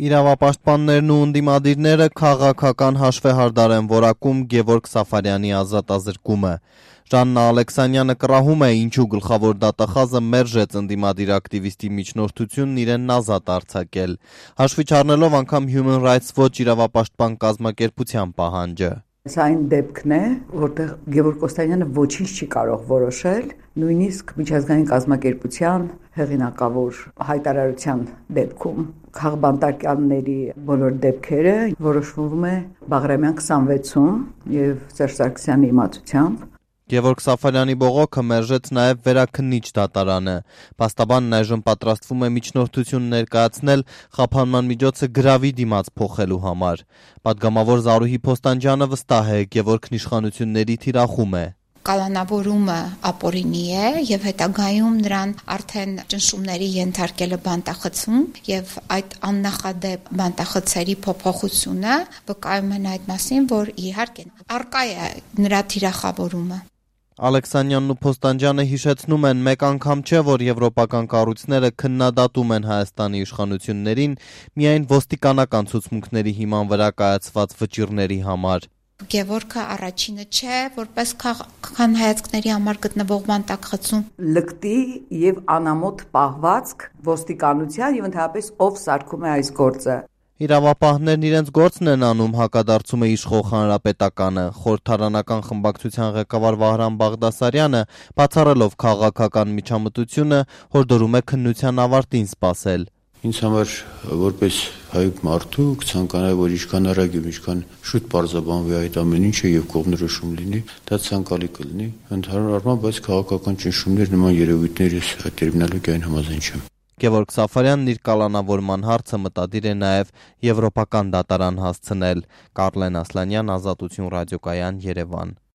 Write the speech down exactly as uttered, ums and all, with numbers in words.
Իրավապաշտպաններն ու ընդդիմադիրները քաղաքական հաշվեհարդար են որակում Գևորգ Սաֆարյանի ազատազրկումը։ Ժաննա Ալեքսանյանը կռահում է, ինչու գլխավոր դատախազը մերժեց ընդդիմադիր ակտիվիստի միջնորդությունն իրեն ազատ արձակել, հաշվի չառնելով անգամ Human Rights Watch իրավապաշտպան կազմակերպության պահանջը։ Սա այն դեպքն է, որտեղ Գևորգ Կոստանյանը ոչինչ չի կարող որոշել, նույնիսկ միջազգային կազմակերպության հեղինակավոր հայտարարության դեպքում քաղբանտակյանների բոլոր դեպքերը որոշվում է Բաղրամյան քսանվեցում եւ Սերժ Սարգսյանի իմացությամբ։ Գևորգ Սաֆարյանի բողոքը մերժեց նաև վերաքննիչ դատարանը։ Փաստաբանն այժմ պատրաստվում է միջնորդություն ներկայացնել խափանման միջոցը գրավի դիմաց փոխելու համար։ Պատգամավոր Զարուհի Փոստանջյանը վստահ է, Գևորգն իշխանությունների թիրախում է։ Կալանավորումը ապօրինի է եւ հետագայում նրան արդեն ճնշումների ենթարկելը բանտախցում եւ այդ աննախադեպ բանտախցերի փոփոխությունը վկայում են այդ մասին, որ իհարկե առկա է նրա թիրախավորումը։ Ալեքսանյանն ու Փոստանջյանը հիշեցնում են, մեկ անգամ չէ, որ եվրոպական կառույցները քննադատում են Հայաստանի իշխանություններին միայն ոստիկանական ցուցմունքների հիման վրա կայացված վճիռների համար։ Գևորգը առաջինը չէ, որպես քաղաքական հայացքների համար գտնվող բանտախցում։ Լկտի եւ անամոթ պահվածք ոստիկանության եւ ընդհանրապես ով սարքում է այս գործը։ Իրավապահներն իրենց գործն են անում, հակադարձում է իշխող հանրապետականը։ Խորհրդարանական խմբակցության ղեկավար Վահրամ Բաղդասարյանը, բացառելով քաղաքական միջամտությունը, հորդորում է քննության ավարտին սպասել։ Ինձ համար որպես հայ մարդու կցանկանայի, որ ինչքան արագ եւ ինչքան շուտ պարզաբանվի այդ ամեն ինչը եւ կողմնորոշում լինի, դա ցանկալի կլինի։ Ընդհանուր առմամբ, բայց քաղաքական ճնշումներ նման երևույթների տերմինոլոգիային համաձայն չեմ։ Գևորգ Սաֆարյանն իր կալանավորման հարցը մտադիր է նաև եվրոպական դատարան հասցնել։ Կարլեն Ասլանյան, Ազատություն ռադիոկայան, Երևան։